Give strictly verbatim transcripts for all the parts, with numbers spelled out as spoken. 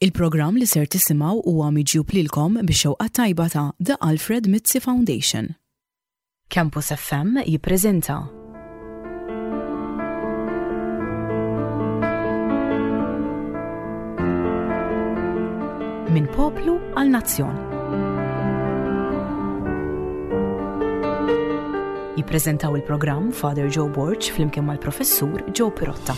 Il-programm li ser tisimgħu huwa miġjub lilkom bix-xewqa tajba ta' The Alfred Mizzi Foundation. Campus F M jippreżenta Minn Poplu għal Nazzjon. Jippreżentaw il-programm Father Joe Borg flimkien mal-Professur Joe Pirotta.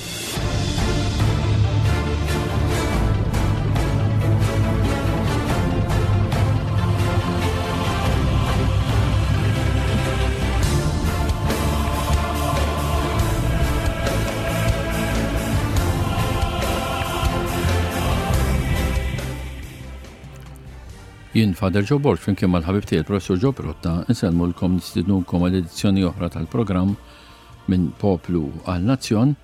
Jien Father Joe Borg flimkien mal-ħabib tiegħi il-Professur Joe Pirotta insellmulkom, nistidnukom għal edizzjoni oħra tal-programm Minn Poplu għal Nazzjon.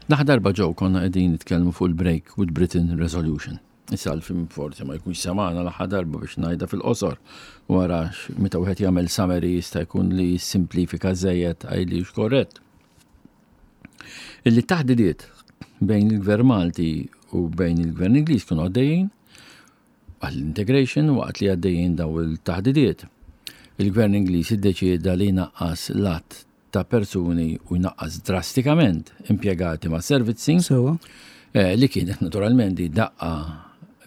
L-aħħar darba, Joe, konna qegħdin nitkellmu fuq il-Break with Britain Resolution. Issa l-film forsi ma jkunx semana l-aħħar darba, biex ngħidha fil-qosor, wara meta wieħed jagħmel summary jista' jkun li simplifika żejjed għajli korrett. Illi taħdidiet bejn il-Gvern Malti u bejn il-Gvern Ingliż kienu għaddejjin għall-integration. Waqt li għaddejjin daw il-taħdidiet, il-Gvern Ingliż iddeċieda li jnaqqas l-għadd ta' persuni u jnaqqas drastikament impjegati ma' servizzi Sewa. eh, li kienet naturalment di daqqa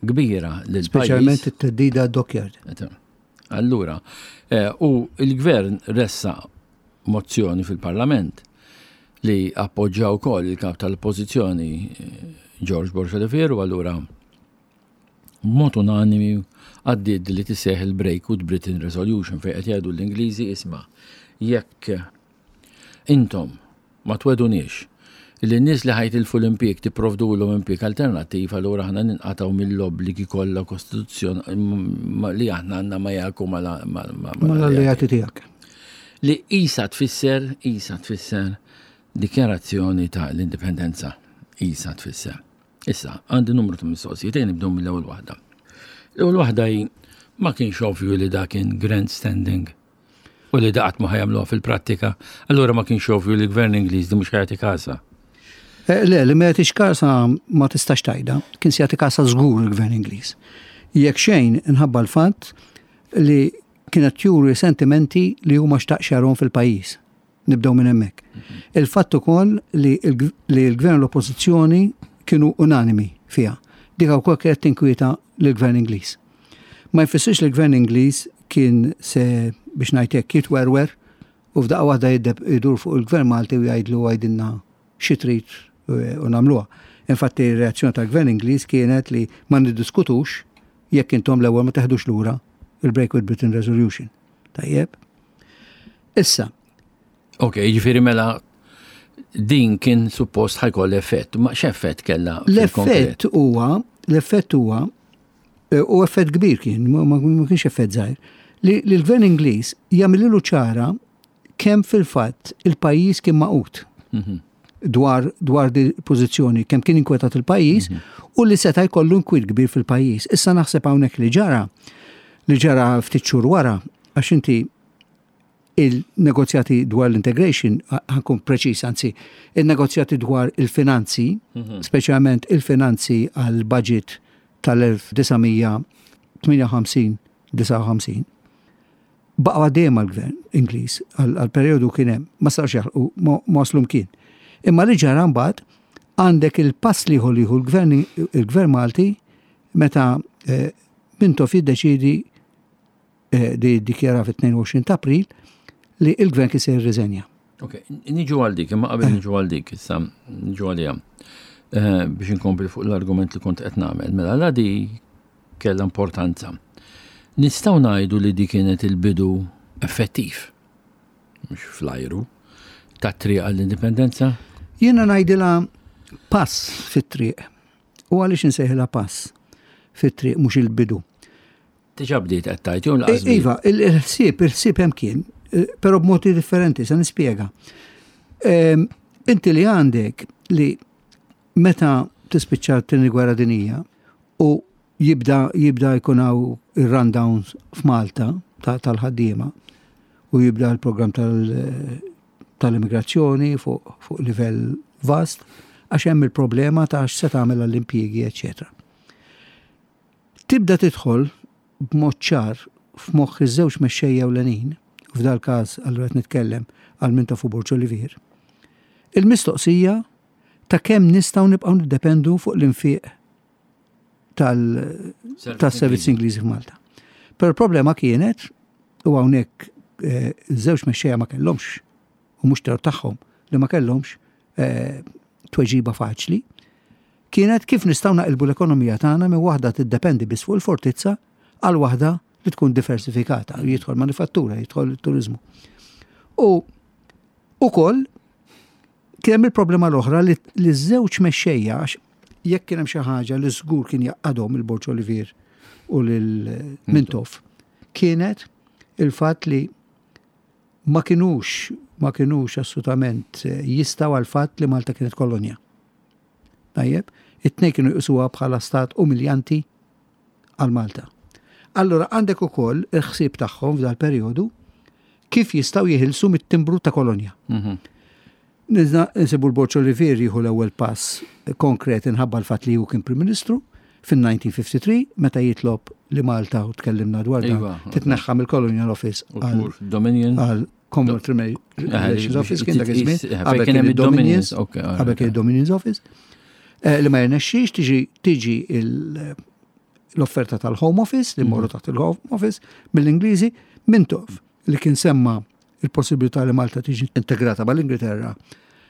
kbira lil Speċjalment it-theddida dockyard. Allura, eh, u il-gvern ressaq mozzjoni fil-parlament li appoġġaw ukoll il-kap tal-oppożizzjoni eh, George Borg Olivier, u allura b'mod unanimi għaddiet li tissejjaħ il-Break with Britain Resolution, fejn qed jgħidu l-Ingliżi: "Isma', jekk intom ma twegħduniex li n-nies li ħa jitilfu l-impjieg tipprovdulhom impjieg alternattiv, allura aħna ninqatgħu mill-obbligi kollha kostituzzjon li aħna għandna ma jaku mal-alleati tiegħek." Li isa tfisser, isa tfisser dikjarazzjoni ta' l-indipendenza. Isa tfisser. Issa, għandi numru ta' mistoqsijiet, ejja nibdew mill-ewwel waħda. L-ewwel waħda hi: ma kienx ovvju li da kien grandstanding u li da qatt ma ħa jagħmluha fil-prattika, allura ma kienx ovvju li l-Gvern Ingliż di mhux ħa jagħti kasha? Eh, Le, li ma jagħtix kasa ma tistax tgħidha, kien se jagħti kasa żgur il-Gvern Ingliż. Jekk xejn inħabba l-fatt li kienet juri sentimenti li huma xtaqx jarahom fil-pajjiż. Nibdew minn hemmhekk. Il-fatt ukoll li l- li l-Gvern u l-Oppożizzjoni kienu unanimi fiha. Dik ukoll kienet tinkwieta lill-Gvern Ingliż. Ma jfissirx li l-Gvern Ingliż kien se, biex ngħid hekk, jitwerwer u f'daqqa waħda jiddeb idur fuq il-Gvern Malti u jgħidlu: "Għidilna xi trid u nagħmluha." Infatti r-reazzjoni tal-Gvern Ingliż kienet li ma niddiskutux jekk intom l-ewwel ma teħdux lura il-Break with Britain Resolution. Tajjeb. Issa, Ok, ġifieri mela din kien suppost ħa jkollha effett, ma x'effett kella fil-konkret? L-effett huwa, l-effett huwa, eh, u effett kbir kien, ma ma- ma kienx effett żgħir, li li l-Gvern Ingliż jagħmlilu ċara kemm fil-fatt il-pajjiż kien magħqud Mhm. dwar dwar di pożizzjoni, kemm kien inkwetat il-pajjiż u li seta' jkollu nkwiet kbir fil-pajjiż. Issa naħseb hawnhekk li ġara li ġara ftit xhur wara, għax inti il-negozjati dwar l-integration, ħa nkun preċis, anzi, il-negozjati dwar il-finanzi, speċjalment il-finanzi għal budget tal-elf disa' mija tmienja u ħamsin disgħa u ħamsin, baqa' dejjem għal-gvern Ingliż għal-periodu kien hemm, ma sarx jaħlqu, ma ma waslu mkien. Imma li ġara mbagħad, għandek il-pass li li jieħu l-gvern il-gvern Malti meta eh, Mintoff jiddeċidi eh, di dikjara fit-tnejn u għoxrin ta' April li il-gvern kien se jirriżenja. Ok, niġu għal dik, imma qabel niġu għal dik, issa niġu għalija. Eh, biex inkompli fuq l-argument li kont qed nagħmel, mela la di kellha importanza. Nistgħu ngħidu li di kienet il-bidu effettiv, mhux fl-ajru, tat-triq għall-indipendenza? Jiena ngħidilha pass fit-triq. U għaliex insejħilha pass fit-triq, mhux il-bidu? Diġà bdiet qed tgħid jew lanqas? E- Iva, il-ħsieb, il-ħsieb hemm kien, eh, però b'modi differenti, se nispjega. Ehm, Inti li għandek li meta tispiċċa t-tieni gwerra dinija u jibda jibda jkun hawn ir-rundowns f'Malta ta- tal-ħaddiema u jibda l-programm tal- tal-immigrazzjoni fuq fuq livell vast, għax hemm il-problema ta' x'se tagħmel għall-impjiegi, eċetera. Tibda tidħol b'mod ċar f'moħħ iż-żewġ mexxejja ewlenin, u f'dal każ allura qed nitkellem għal Mintoff u Borg Olivier, il-mistoqsija ta' kemm nistgħu nibqgħu niddependu fuq l-infiq tal-servizz Ingliżi f'Malta. Però l-problema kienet, u hawnhekk eh, żewġ mexxejja ma kellhomx, u mhux tort tagħhom li ma kellhomx eh, tweġiba faċli, kienet kif nistgħu naqilbu l-ekonomija tagħna minn waħda tiddependi biss fuq il-fortizza għal waħda li tkun diversifikata, jidħol manifattura, jidħol turizmu. U ukoll kien hemm il-problema l-oħra li li żewġ mexxejja, għax jekk kien hemm xi ħaġa li żgur kien jgħaqqadhom lil Borg Olivier u lil Mintoff, kienet il-fatt li ma kinux ma kinux assolutament jistgħu għal fatt li Malta kienet kolonja. Tajjeb, it-tnejn kienu jqisuha bħala stat umiljanti għal Malta. Allora għandek ukoll il-ħsieb tagħhom f'dal perjodu kif jistgħu jeħilsu mit-timbru ta' kolonja. Mhm. Nizna nsibu l-Borg Olivier jieħu l-ewwel pass konkret inħabba l-fatt li hu kien Prim Ministru fin-elf disa' mija u tlieta u ħamsin meta jitlob li Malta, u tkellimna dwar dan, Iva. titneħħa mill-Colonial Office U għal tmur Dominion. għal Commonwealth Relations Office kien dak iż-żmien, Eh, qabel kien hemm kien id-Dominions, id-Dominions, ok, all qabel right. kien id-Dominions Office, eh, li ma jirnexxix tiġi tiġi il- l-offerta tal-Home Office, li morru taħt il-Home Office, mill-Ingliżi. Mintoff, li kien semma il-possibilità li Malta tiġi integrata mal-Ingilterra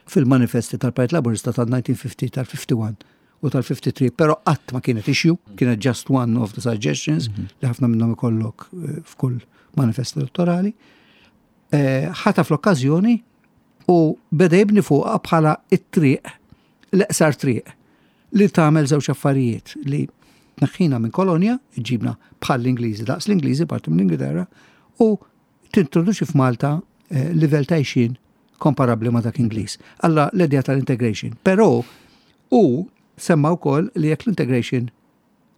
fil-manifesti tal-Partit Laburista tal-elf disa' mija u ħamsin, tal-ħamsa u ħamsin u tal-tlieta u ħamsin, pero qatt ma kienet issue, kienet just one of the suggestions li ħafna minnhom ikollok eh, f'kull manifest elettorali. Eh, ħataf l-okkażjoni u beda jibni fuqha bħala it-triq, l-eqsar triq, li tagħmel żewġ affarijiet: li tneħħina minn kolonja, ġibna bħal l-Ingliżi, daqs l-Ingliżi, parti mill Ingilterra, u tintroduċi f'Malta eh, livell ta' għajxien komparabli ma' dak Ingliż. Alla l-idea tal-integration. Però u semma wkoll li jekk l-integration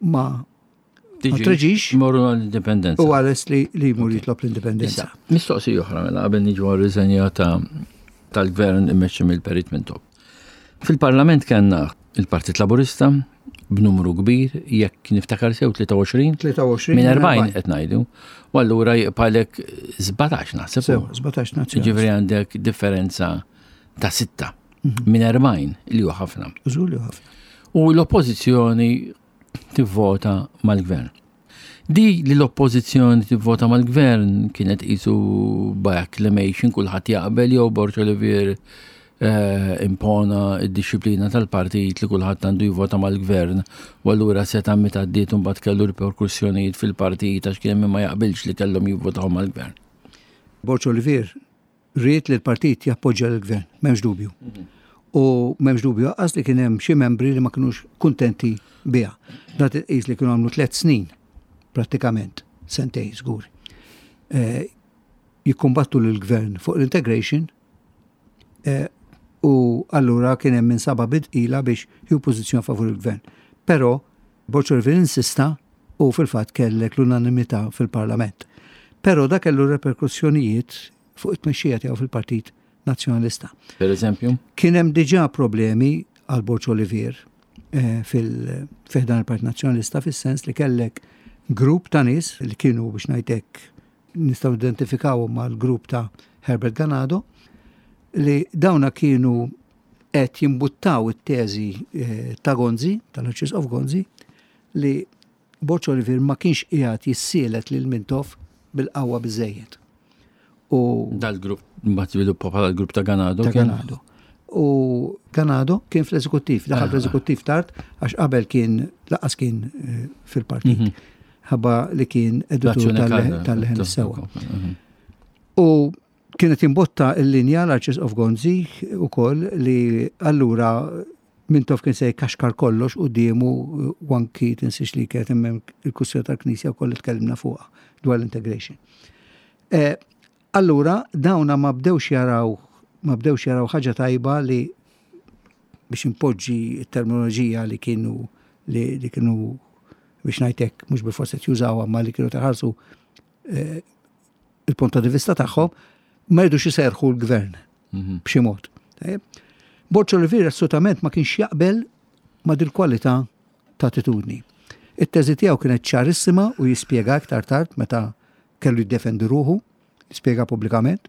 ma ma treġix, Morru għall-indipendenza. u għales li li jmur jitlob l-indipendenza. Issa, mistoqsija oħra mela qabel niġu għar-riżenja ta' tal-gvern immexxi mill-Perit Mintoff. Fil-Parlament kellna il-Partit Laburista b'numru kbir, jekk niftakar sew tlieta u għoxrin. tlieta u għoxrin. Minn erbgħin qed ngħidu. U allura jibqalek sbatax naħseb. Sew, sbatax nazzjonali. Ġifieri għandek differenza ta' sitta minn erbgħin, li huwa ħafna. Żgur li ħafna. U l-oppożizzjoni tivvota mal-gvern. Di li l-oppożizzjoni tivvota mal-gvern kienet qisu by acclamation, kulħadd jaqbel, jew Borg Olivier eh, impona id-disciplina tal-partit li kulħadd għandu jivvota mal-gvern u allura seta' meta għaddiet mbagħad kellu riperkussjonijiet fil-partit għax kien hemm min ma jaqbilx li kellhom jivvotaw mal-gvern? Borg Olivier ried li l-partit jappoġġja l-gvern, m'hemmx dubju. U m'hemmx dubju għax li kien hemm xi membri li ma kinux kuntenti biha. Dat qis li kienu għamlu tliet snin prattikament, sentej żgur. Eh, jikkumbattu l-gvern fuq l-integration eh, u allura kien hemm min sabha bi tqila biex jieħu pożizzjoni favur il-gvern. Però Borg Olivier insista u fil-fatt kellek l-unanimità fil-Parlament. Però da kellu reperkussjonijiet fuq it-tmexxija tiegħu fil-Partit Nazzjonalista. Per eżempju? Kien hemm diġà problemi għal Borg Olivier eh, fil ħdan il-Partit Nazzjonalista, fis-sens li kellek grupp ta' nies li kienu, biex ngħidlek, nistgħu identifikawhom mal-grupp ta' Herbert Ganado, li dawna kienu qed jimbuttaw it-teżi eh, ta' Gonzi, tal-Arċisqof Gonzi, li Borg Olivier ma kienx qiegħed jissielet lil Mintoff bil-qawwa biżejjed. U Dal-grupp mbagħad żviluppa bħala l-grupp ta' Ganado. Ta' kien? Ganado. U Ganado kien fl-eżekuttiv, daħal Ah. fl-eżekuttiv tard, għax qabel kien lanqas kien eh, fil-partit. Mhm. Ħabba li kien editur L-Azzjoni tal- Karda. tal-Leħen is-Sewwa. Mhm. U kienet imbotta l-linja l-Arċisqof Gonzi u koll li allura Mintoff kien se jkaxkar kollox quddiemu, u anki tinsiex li kienet hemm il-kwistjoni tal-Knisja wkoll li tkellimna fuqha dwar l-integration. Eh, Allura dawna ma bdewx jaraw ma bdewx jaraw ħaġa tajba li, biex impoġġi terminoloġija li kienu li, li kienu, biex ngħidlek, mhux bilfors qed jużawha, ma li kienu taħarsu eh, il-punto di vista tagħhom, ma jridux iserħu l-gvern Mhm. b'xi mod. Tajjeb. Borg Olivier assolutament ma kienx jaqbel ma dil kwalità ta' attitudni. It-teżi tiegħu kienet ċarissima u jispjega iktar tard meta kellu jiddefendi ruħu, jispjega pubblikament.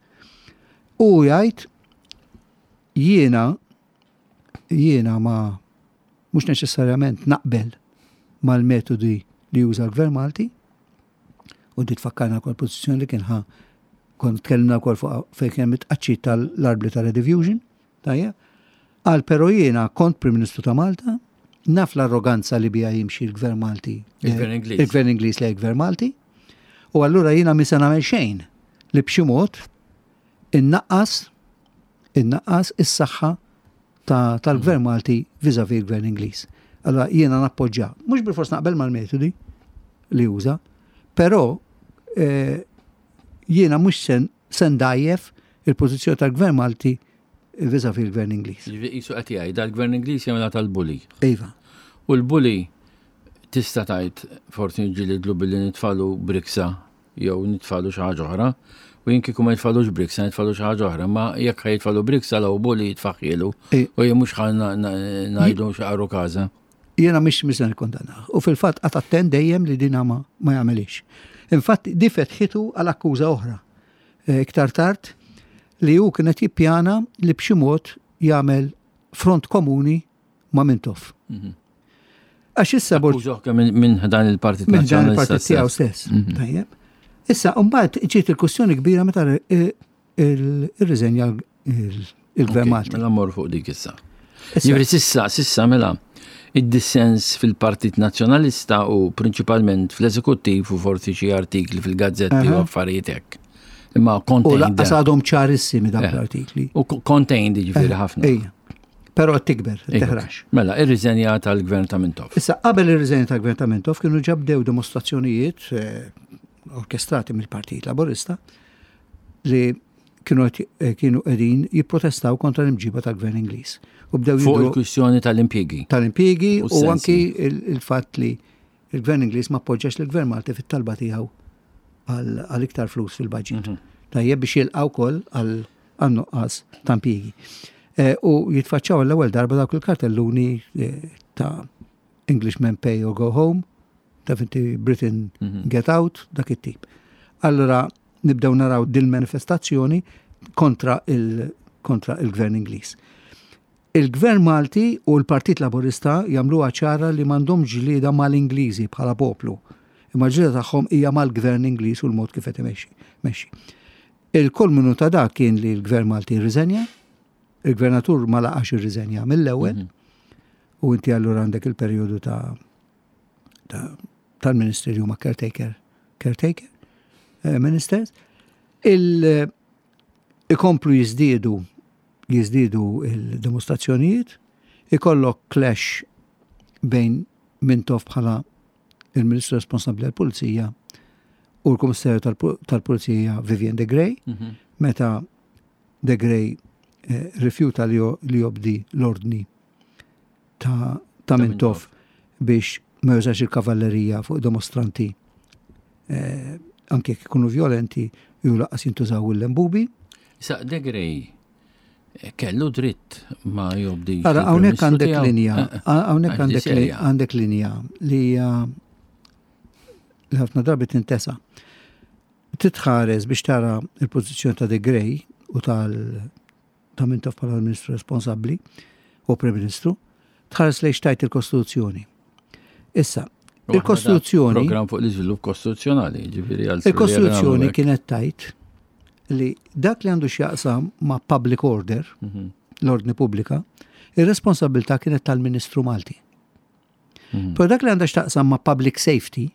U jgħid jiena jiena ma mhux neċessarjament naqbel mal-metodi li juża l-Gvern Malti u di tfakkarna wkoll pożizzjoni li kien ħa kont tkellimna wkoll fuq fejn kien mitqaċċi tal-arbli tal-Rediffusion, tajjeb. Qal però jiena kont Prim Ministru ta' Malta, naf l-arroganza li bija jimxi l-Gvern Malti. Il-Gvern Ingliż. Il-Gvern Ingliż li l-Gvern Malti. U allura jiena mi se nagħmel xejn li b'xi mod innaqqas innaqqas is-saħħa ta' tal-Gvern Malti vis-à-vis il-Gvern Ingliż. Allora jiena nappoġġja, mhux bilfors naqbel mal-metodi li uża, però eh, jiena mhux sen se ndgħajjef il-pożizzjoni tal-Gvern Malti vis-à-vis il-Gvern Ingliż. Jiġifieri qisu qed jgħid dal-Gvern Ingliż jagħmilha tal-bully. Iva. U l-bully tista' tgħid forsi nġilidlu billi nitfalu briksa jew nitfalu xi ħaġa oħra. U jien kieku ma jitfalux briksa, nitfalu xi ħaġa oħra, ma jekk ħa jitfalu briksa law bully jitfaħħielu. E- U jien mhux ħa ngħidu xi qaru każa. Jiena mhix mhix se nikkondanna. U fil-fatt qagħad attent dejjem li dina ma, ma jagħmelix. Infatti di fetħitu għal akkuża oħra. Eh, Iktar tard li hu kienet jippjana li b'xi mod jagħmel front komuni ma' Mintoff. Mhm. Għax issa Borg Akkużah minn minn dan il-Partit minn dan Nazzjonalista il-partit tiegħu stess. stess. Tajjeb. Issa mbagħad ġiet il-kwistjoni kbira meta irriżenja il-Gvern Ok, Malti. Mela mmorru fuq dik issa. Issa, Jiġifieri sissa, sissa mela, id-dissens fil-Partit Nazzjonalista u prinċipalment fl-eżekuttiv u forsi xi artikli fil-gazzetti u Aha. affarijiet hekk. Imma U contained. lanqas għadhom ċarissimi dawk Eh. l-artikli. U contained jiġifieri ħafna. Ejja. Però qed tikber, Ejja, teħrax. Mela, ir-riżenja tal-Gvern ta' Mintoff. Issa qabel ir-riżenja tal-Gvern ta' Mintoff kienu ġa bdew dimostrazzjonijiet eh, orkestrati mill-Partit Laburista li kienu qed- eh, kienu qegħdin jipprotestaw kontra l-imġiba tal-Gvern Ingliż. U bdew Fuq jidhru il-kwistjoni tal-impjiegi. tal-impjiegi U u s-sensi. anki il- il-fatt li il-Gvern Ingliż ma appoġġax l-Gvern Malti fit-talba tiegħu għal għal iktar flus fil-budget. Mhm. Tajjeb biex jilqgħu wkoll għal għan-nuqqas ta' impjiegi. Eh, U jitfaċċaw l-ewwel darba dawk il-kartelluni eh, ta' Englishmen pay or go home, ta' inti Britain Mhm. get out, dak it-tip. Allora nibdew naraw din manifestazzjoni kontra il kontra il-Gvern Ingliż. Il-Gvern Malti u l-Partit Laburista jagħmluha ċara li m'għandhom ġlieda mal-Ingliżi bħala poplu. Imma ġlieda tagħhom hija mal-Gvern Ingliż u l-mod kif qed imexxi. Mexxi. Il-kulminu ta' dak kien li l-Gvern Malti rriżenja, il-Gvernatur ma laqax irriżenja mill-ewwel, Mhm. u inti allura għandek il-perjodu ta' ta' tal-ministri li huma caretaker, caretaker eh, ministers. Il ikomplu jiżdiedu jiżdiedu il-dimostrazzjonijiet, ikollok clash bejn Mintoff bħala il-Ministru responsabbli għall-Pulizija u l-Kummissarju tal-Pu- tal-Pulizija Vivian de Grey, Mhm. meta De Grey eh, rifjuta li jo- li jobdi l-ordni ta', ta Mintoff biex ma jużax il-kavallerija fuq dimostranti eh, anke jekk ikunu violenti ju lanqas jintużaw il-lembubi. Issa, De Grey eh, kellu dritt ma jobdi. Ara, hawnhekk għandek linja, hawnhekk Għax di għandek li- serja. għandek linja li hija li ħafna drabi tintesa. Titħares biex tara il-pożizzjoni ta' De Grey u tal ta' Mintoff bħala l-Ministru responsabbli u Prim Ministru, tħares lejn x'tgħid il-Kostituzzjoni. Issa, il-Kostituzzjoni Program fuq l-iżvilupp kostituzzjonali, ġifieri għal il-Kostituzzjoni kienet tgħid li dak li għandu x'jaqsam ma' public order, Mhm. l-ordni pubblika, ir-responsabilità kienet tal-Ministru Malti. Mhm. Però dak li għandha x'taqsam ma' public safety,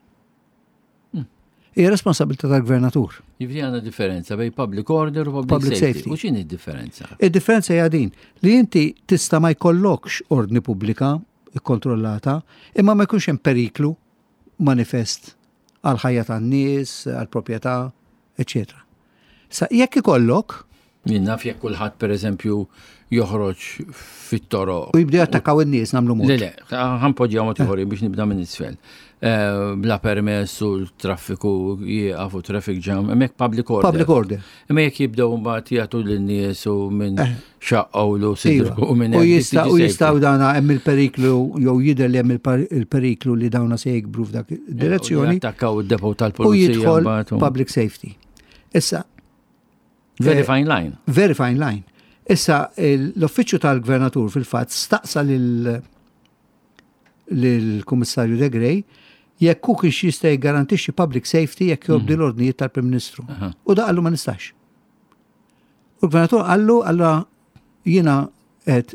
Mm. hija responsabilità tal-gvernatur. Ġifieri għandna differenza bejn public order u public, Public safety. safety. U x'inhi d-differenza? Id-differenza hija din li inti tista' ma jkollokx ordni pubblika ikkontrollata, imma ma jkunx hemm periklu manifest għal ħajja tan-nies, għal proprjetà, eċetera. Sa jekk ikollok, Jien naf jekk kulħadd pereżempju joħroġ fit-toroq. U jibdew jattakkaw in-nies nagħmlu mod. Le, le, ħa npoġġiha mod ieħor biex nibda minn isfel. Eh, bla permess u l-traffiku jieqaf u traffic jam, hemmhekk public order. Public order. Imma jekk jibdew mbagħad jagħtu lin-nies u minn Eh. xaqqawlu sidru Iva. u minn U hekk, jista' dik u tiġi jistgħu safety. dana hemm il-periklu jew jidher li hemm il-par- il-periklu li dawna se jikbru f'dak id-direzzjoni Attakkaw id-depot u tal-pulizija. jidħol mbagħad u- public safety. Issa, Very eh, fine line. very fine line. Issa, l-uffiċċju tal-gvernatur fil-fatt staqsa lil lill-Kummissarju De Grey jekk hu kienx jista' jiggarantixxi public safety jekk jobdi l-ordnijiet tal-Prim Ministru. Aha. U da qallu ma nistax. U l-gvernatur qallu allura jiena qed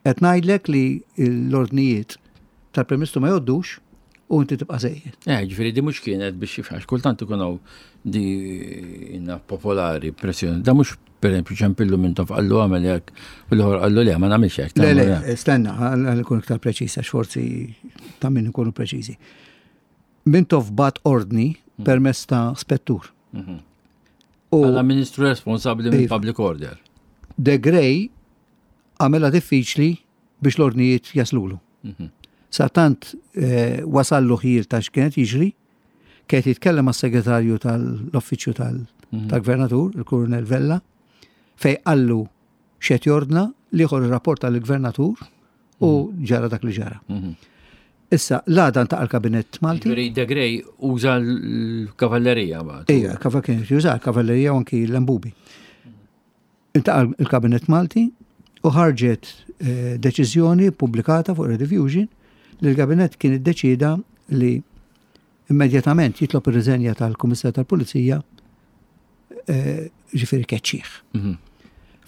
qed ngħidlek li l-ordnijiet tal-Prim Ministru ma jgħoddux u inti tibqa' sejjer. Eh, ġifieri di mhux kienet biex jifħax, kultant ikun hawn di inna popolari pressjoni. Da mhux pereżempju ċempillu Mintoff qallu għamel hekk u l-ieħor qallu le ma nagħmilx hekk. Le, tagħmel le, hekk. stenna, għal nkun iktar preċiż, għax forsi ta' min nkunu preċiżi. Mintoff bagħat ordni permezz ta' spettur. Mhm. U Bħala ministru responsabbli minn Iva. public order. De Grey għamela diffiċli biex l-ordnijiet jaslulu. Mhm. Sa tant eh, wasallu ħjiel ta' x'kienet jiġri, kienet jitkellem mas-segretarju tal-uffiċċju tal- Mhm. tal-gvernatur, il-Kurunel Vella, fej qallu x'qed jordna l-ieħor irrapporta lill-gvernatur u ġara dak li ġara. Mhm. Issa, l-għada ltaqa' l-kabinett Malti. Ġifieri De Grey uża l-kavallerija mbagħad. Ija, kava kien juża l-kavallerija u anki l-lambubi. Iltaqa' il-kabinett Malti u ħarġet eh, deċiżjoni pubblikata fuq Rediffusion li l-kabinett kien iddeċida li immedjatament jitlob ir-riżenja tal-Kummissarju tal-Pulizija eh, ġifieri keċċih. Mhm.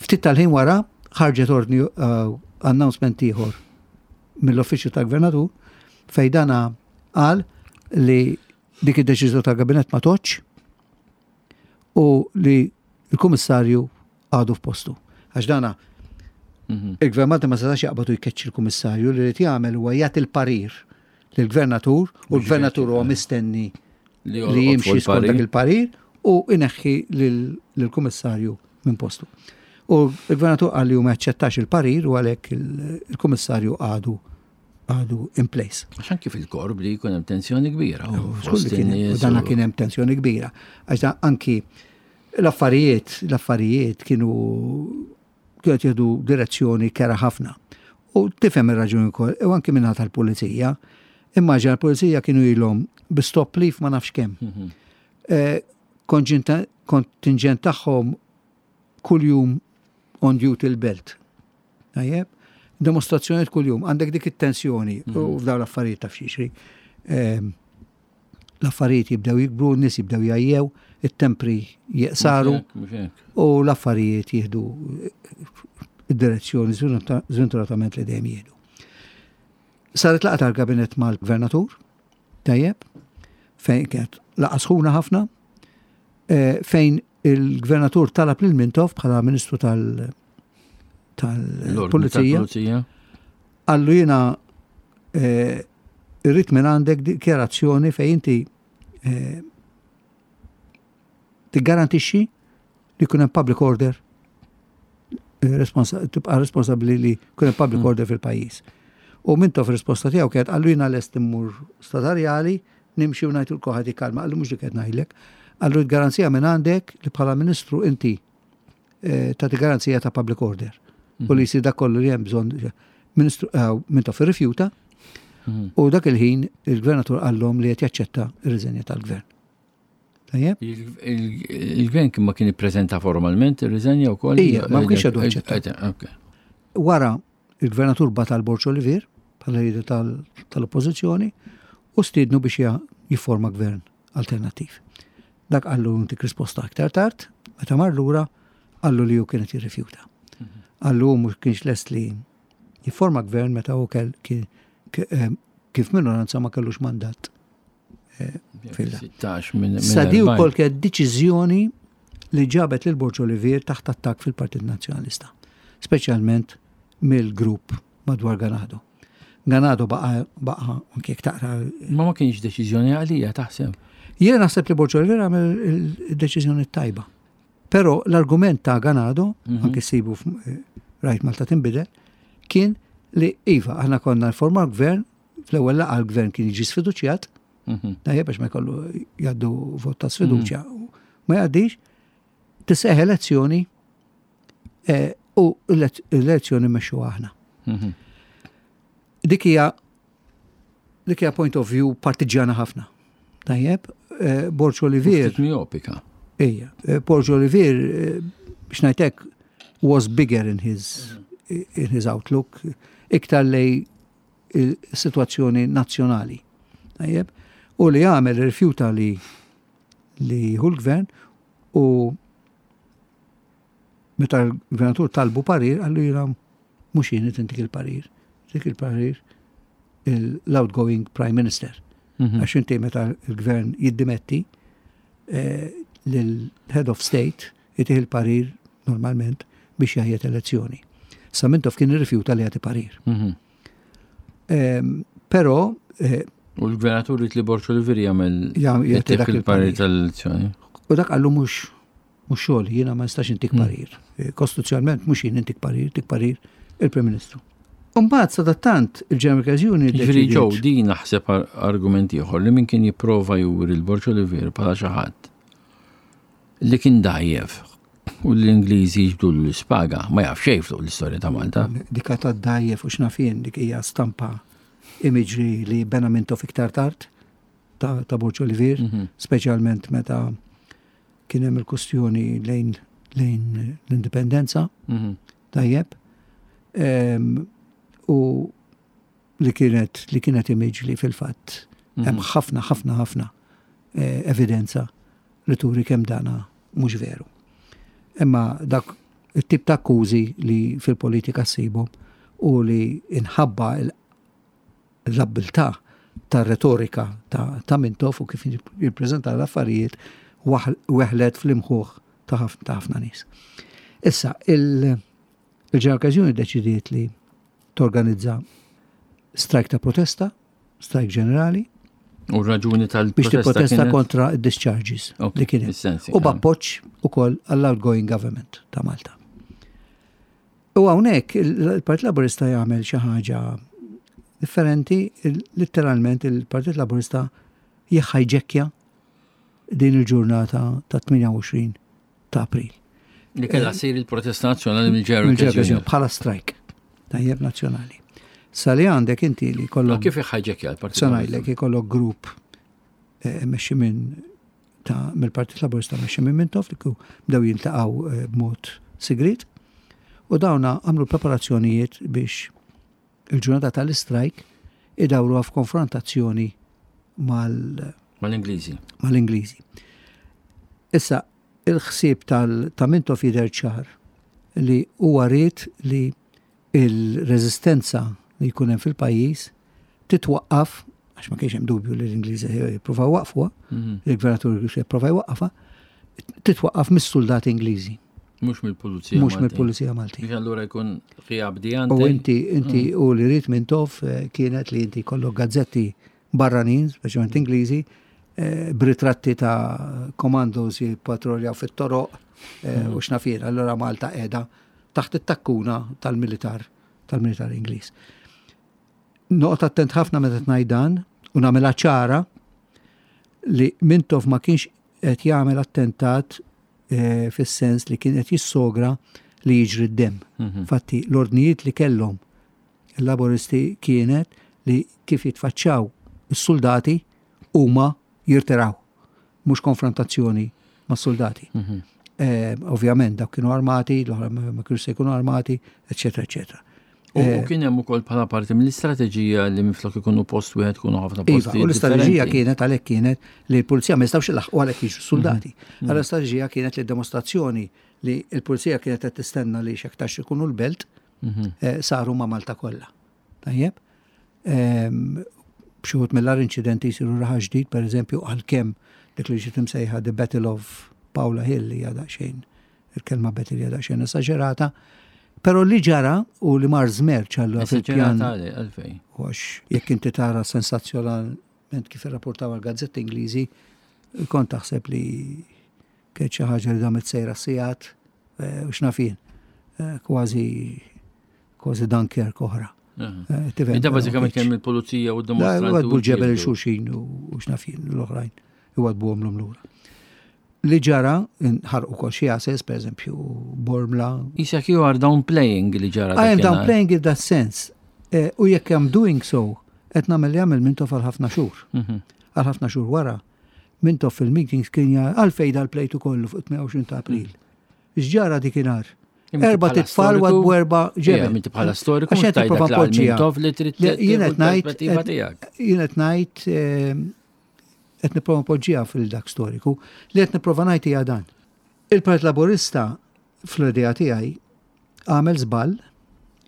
Ftit tal-ħin wara ħarġet ordni uh, announcement ieħor mill-uffiċċju tal-Gvernatur fej dana qal li dik id-deċiżjoni tal-kabinett ma tgħoddx u li l-kummissarju għadu f'postu. Għax dana Mhm. il-Gvern Malti ma setax jaqbad u jkeċċi l-kummissarju li li jagħmel huwa jagħti l-parir lill-gvernatur u l-gvernatur huwa mistenni Li li jorqod fuq jimxi skont dak il-parir. il-parir u ineħħi lil- lill-kummissarju minn postu. U l-gvernatur qal li hu ma jaċċettax il-parir u għalhekk il- il-kummissarju għadu għadu in place. Għax anki fil-korp li jkun hemm tensjoni kbira. u Żgur fost li kien hemm- in-nies U dana u- kien hemm tensjoni kbira. Għax da anki l-affarijiet, l-affarijiet kienu kienu qed jieħdu direzzjoni kerha ħafna. U tifhem ir-raġuni wkoll, u anki minnaħa tal-pulizija. Immaġina l-pulizija kienu ilhom bi stop leave ma nafx kemm. Mhm. Eh, konġinta- Kontingent tagħhom kuljum on duty l-belt. Tajjeb? Demonstrazzjonijiet kuljum, għandek dik it-tensjoni u f'dawn l-affarijiet taf x'jiġri. Ehm, L-affarijiet jibdew jikbru, n-nies jibdew jgħajjew, it-tempri jeqsaru Mhux hekk, mhux hekk. u l-affarijiet jieħdu id-direzzjoni żventuratament li dejjem jieħdu. Saret laqgħa tal-kabinett mal-gvernatur, tajjeb, fejn kienet laqgħa sħuna ħafna, eh, fejn il-gvernatur talab lil Mintoff bħala ministru tal- L-ordni tal-pulizija, tal-pulizija. qallu jiena eh, irrid minn għandek dikjarazzjoni fejn inti eh, tiggarantixxi li jkun hemm public order eh, responsa- tibqa' responsabbli li jkun hemm public Mm. order fil-pajjiż. U Mintoff risposta tiegħu kienet qallu jiena lest immur statarjali nimxi u ngħid kulħadd jikkalma, qallu mhux dik qed ngħidlek. Qallu garanzija minn għandek li bħala ministru inti eh, tagħti garanzija ta' public order. U li jsir dak kollu li hemm bżonn Ministru eh, Mintoff irrifjuta Mhm. u dak il-ħin il-gvernatur qallhom li qed jaċċetta ir-riżenja tal-gvern. Tajjeb? Il- il- Il-gvern kien ma kien ippreżenta formalment ir-riżenja wkoll? Ija, ma kienx għadu aċċettat. Eh, ok. Wara il-gvernatur bagħat għal Borg Olivier bħala leader tal- tal-oppożizzjoni u stiednu biex ja- jifforma gvern alternattiv. Dak qallu ntik risposta aktar tard, meta mar lura qallu li hu kienet jirrifjuta. Qallu hu mhux kienx lest li jifforma gvern meta hu kell kien k- eh, kif minoranza ma kellux mandat. Fil- Sittax minn minn Sa di erbgħin. wkoll kienet deċiżjoni li ġabet lil Borg Olivier taħt attakk fil-Partit Nazzjonalista, speċjalment mill-grupp madwar Ganado. Ganado baqa baqa anke jekk taqra. Ma ma kienx deċiżjoni għalija taħseb. Jiena naħseb li Borg Olivier għamel il-deċiżjoni tajba. Però l-argument ta' Ganado, Mhm. anke sibu f- rajt Malta Tinbidel, kien li iva, aħna konna nforma gvern, fl-ewwel laqgħa l-gvern kien jiġi sfiduċjat, Mhm. tajjeb biex ma jkollu jgħaddu vot ta' sfiduċja. Ma jgħaddix, tisseħ elezzjoni eh, u l-elezzjoni mmexxu aħna. Mhm. Dik hija dik hija point of view partiġjana ħafna. Tajjeb, eh, Borg Olivier, Ftit miopika. ejja, eh, Borg Olivier, eh, biex ngħidlek, was bigger in his, in his outlook, iktar lejn il-situazzjoni nazzjonali. Tajjeb, u li għamel rifjuta li li hu l-gvern u meta l-gvernatur talbu parir, qallu jiena mhux jien intik il-parir, dik il-parir l-outgoing prime minister. Mhm. Għax inti meta l-gvern jiddimetti eh, l-head of state itih il-parir normalment biex jgħajjet elezzjoni. Sa Mintoff kien irrifjuta li jagħti parir. Mhm. Ehm, Però eh, U l-gvernatur li Borg Olivier jagħmel jagħti jagħti dak il-parir il-parir. tal-elezzjoni. U dak qallu mhux mhux xogħol, jiena ma nistax intik Mm. parir. Eh, Kostituzzjonalment mhux jien intik parir, tik parir il-Prim Ministru. Umbagħad sadattant il-General Workers Union Ġifieri deċidiet- ġew din naħseb ar- argument ieħor li min kien jipprova juri l-Borg Olivier bħala xi ħadd li kien dajjef u l-Ingliżi jiġbdu l-ispaga ma jaf xejn fuq l-istorja ta' Malta. Dika ta' dajjef u x'naf jien dik hija stampa imagery li bena Mintoff iktar tard ta', ta' Borg Olivier, Mhm. speċjalment meta kien hemm il-kustjoni lejn lejn l-indipendenza, Mhm. tajjeb, Em, u li kienet li kienet image li fil-fatt Mhm. hemm ħafna ħafna ħafna eh, evidenza li turi kemm dana mhux veru. Imma dak it-tip ta' akkużi li fil-politika ssibhom u li inħabba l- l-abbiltà ta' retorika ta', ta' Mintoff u kif jippreżenta l-affarijiet waħ- weħlet fl-imħuħ ta' ħafna ta' ħafna nies. Issa, il- il-General Workers Union deċidiet li torganizza strajk ta' protesta, strajk ġenerali, U r-raġuni biex tal-protesta tipprotesta kienet- kontra id-discharges Ok, li kien hemm. is-sensi, U b'appoġġ ukoll għall-outgoing government ta' Malta. U hawnhekk il-Partit Laburista jagħmel xi ħaġa differenti, il- letteralment il-Partit Laburista jħajġekkja din il-ġurnata ta' tmienja u għoxrin ta' April. Li kellha ssir il-protesta nazzjonali mill-General Mill-General Workers Union. Bħala strajk tajjeb nazzjonali. Sa li għandek inti li Ma kollok kif iħħajġekkja l-Partit Se ngħidlek ikollok grupp eh, mmexxi minn ta' mill-Partit Laburista mmexxi minn Mintoff li ku bdew jiltaqgħu eh, b'mod sigrit u dawna għamlu preparazzjonijiet biex il-ġurnata tal-istrajk idawruha f'konfrontazzjoni mal Mal-Ingliżi. mal-Ingliżi. Issa, il-ħsieb tal- ta' Mintoff jidher ċar li huwa ried li il-reżistenza li jkun hemm fil-pajjiż titwaqqaf, għax ma kienx hemm dubju li l-Ingliżi jippruvaw waqfuha, Mhm. il-gvernatur jipprova jwaqqafha, titwaqqaf mis-soldati Ingliżi, Mhux mill-Pulizija. mhux Maltin. mill-Pulizija Maltin. Biex allura jkun ħija bdijante. U inti, inti u li ried Mintoff eh, kienet li inti kollok gazzetti barranin, speċjalment Ingliżi, eh, b'ritratti ta' commandos jippatroljaw fit-toroq eh, u x'naf jien. Allora Malta qiegħda taħt it-takkuna tal-militar, tal-militar Ingliż. Noqgħod attent ħafna meta ngħid dan u nagħmilha ċara li Mintoff ma kienx qed jagħmel attentat eh, fis-sens li kien qed jissogra li jiġri d-dem. Mhm. Fatti, l-ordnijiet li kellhom il-laboristi kienet li kif jitfaċċaw is-soldati huma jirtiraw, mhux konfrontazzjoni ma' soldati. Mhm. Eh, ovvjament dawk kienu armati, l-oħra ma ma kienu se jkunu armati, eċetera, eċetera. U Eh, u kien hemm ukoll bħala parti mill-istrateġija li minflok ikunu post wieħed ikunu ħafna Iva, postijiet. u l-istrateġija differenti. kienet għalhekk kienet li l-pulizija ma jistgħux ilaħqu għalhekk jiġu soldati. Allora l-istrateġija kienet li dimostrazzjoni li l-pulizija kienet qed tistenna li x'aktarx ikunu l-belt Mhm. eh, saru ma' Malta kollha. Tajjeb? Ehm, Xi wħud mill-agħar inċidenti jsiru Raħal Ġdid, per eżempju, għalkemm dik li ġiet imsejħa The Battle of Paola Hill li hija daqsxejn il-kelma battle hija daqsxejn esaġerata, però li ġara u li mar żmerċ allura fil-pjan Esaġerata għalej, għalfejn. u għax jekk inti tara sensazzjonalment kif irrapportaw għal-gazzetti Ingliżi, kont taħseb li Kienet xi ħaġa li damet sejra sigħat eh, u x'naf jien. Eh, kważi kważi Dunkirk oħra. Eh, da bażikament kemm il-pulizija u d-dimostranti. Għadbu l-ġebel il-xulxin u x'naf jien l-oħrajn. Iwadbuhom l lura. Li ġara, ħarqu kol xi għases, per eżempju, Bormla. Isek you are downplaying li ġara. I am downplaying in that sense. U jekk I'm doing so, qed nagħmel li għamel Mintoff għal ħafna xhur. Mhm. Għal ħafna xhur wara. Mintoff fil-meetings kien għalfejn dal-plejtu kollu fuq tmienja u għoxrin ta' April. X'ġara dikinhar? Erbat itfal u erba' ġebel. Minti bħala storiku mhux tgħidlek Mintoff li trid Jien qed ngħid jien qed ngħid ehm, qed nipprova npoġġiha fil-dak storiku li qed nipprova ngħid hija dan. Il-Partit Laburista fl-idea tiegħi għamel żball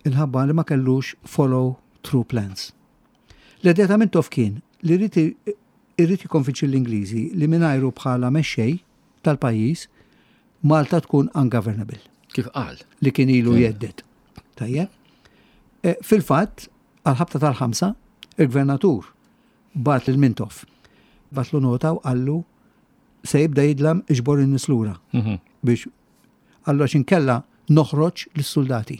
il-ħabba li ma kellux follow through plans. L-idea ta' Mintoff kien li irrid jikkonvinċi l-Ingliżi li mingħajru bħala mexxej tal-pajjiż Malta tkun ungovernable. Kif qal? Li kien ilu jhedded. Tajjeb. E, fil-fatt, għal-ħabta tal-ħamsa, il-gvernatur bagħat lil Mintoff. Bagħatlu nota u qallu se jibda jidlam iġbor in-nies lura. Mhm. Biex qallu għax inkella noħroġ lis-soldati.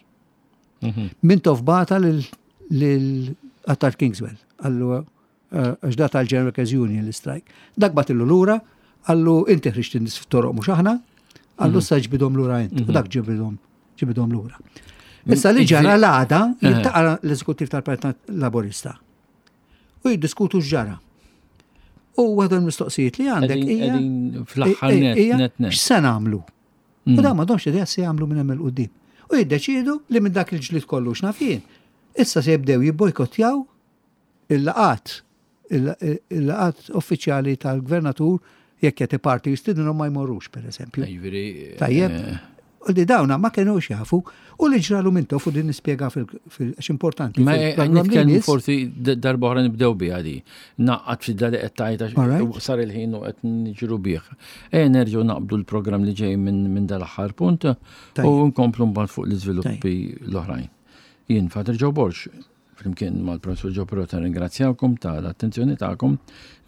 Mhm. Mintoff bagħatha lil Attard Kingswell. Qallu eh, għax da tal-General Workers Union l-strike. Dak bagħtillu lura, qallu inti ħriġt in-nies fit-toroq mhux aħna, qallu mhm. sa ġbidhom lura int. U dak ġibidhom ġibidhom lura. Issa li ġara l-għada eh. jiltaqa' l-eżekuttiv tal-Partit Laburista u jiddiskutu x'ġara. U waħda l-mistoqsijiet li għandek hija x'se nagħmlu? U da m'għandhomx idea se jagħmlu minn hemm 'il quddiem. U jiddeċiedu li minn dak il-ġlid kollu x'naf jien. Issa se jibdew jibbojkottjaw il-laqat il-laqat uffiċjali tal-gvernatur jekk qed parti jistidinhom ma jmorrux, per eżempju. Tajjeb. Eh. U di dawna ma kienux jafu u li ġralu Mintoff u din nispjega fil-għax importanti. Ma nitkellmu forsi darba oħra nibdew biha di. Naqqat fi dali qed tajta sar il-ħin u qed niġru bih. E nerġgħu naqbdu l-programm li ġej minn dal-aħħar punt u nkomplu mbagħad fuq l-iżviluppi l-oħrajn. Jien Father Joe Borg, flimkien mal-professor Joe Pirotta ringrazzjawkom tal-attenzjoni tagħkom.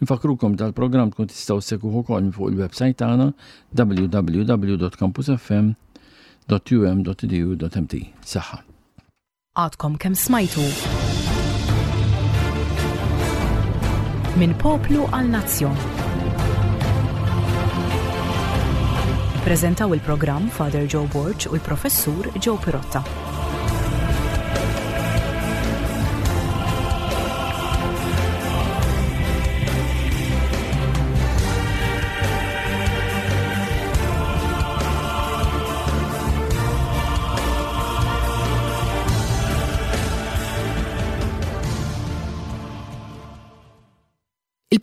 Nfakrukom dal-programm tkun tistgħu ssegwuh ukoll fuq il-website tagħna w w w punt campusfm punt um punt edu punt m t. Saħħa. Għadkom kemm smajtu Minn Poplu għal Nazzjon. Prezentaw il-programm Father Joe Borg u l-professur Joe Pirotta.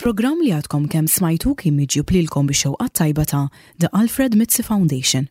Il-programm li għadkom kemm smajtu kien miġjub lilkom bix-xewqa tajba ta' The Alfred Mizzi Foundation.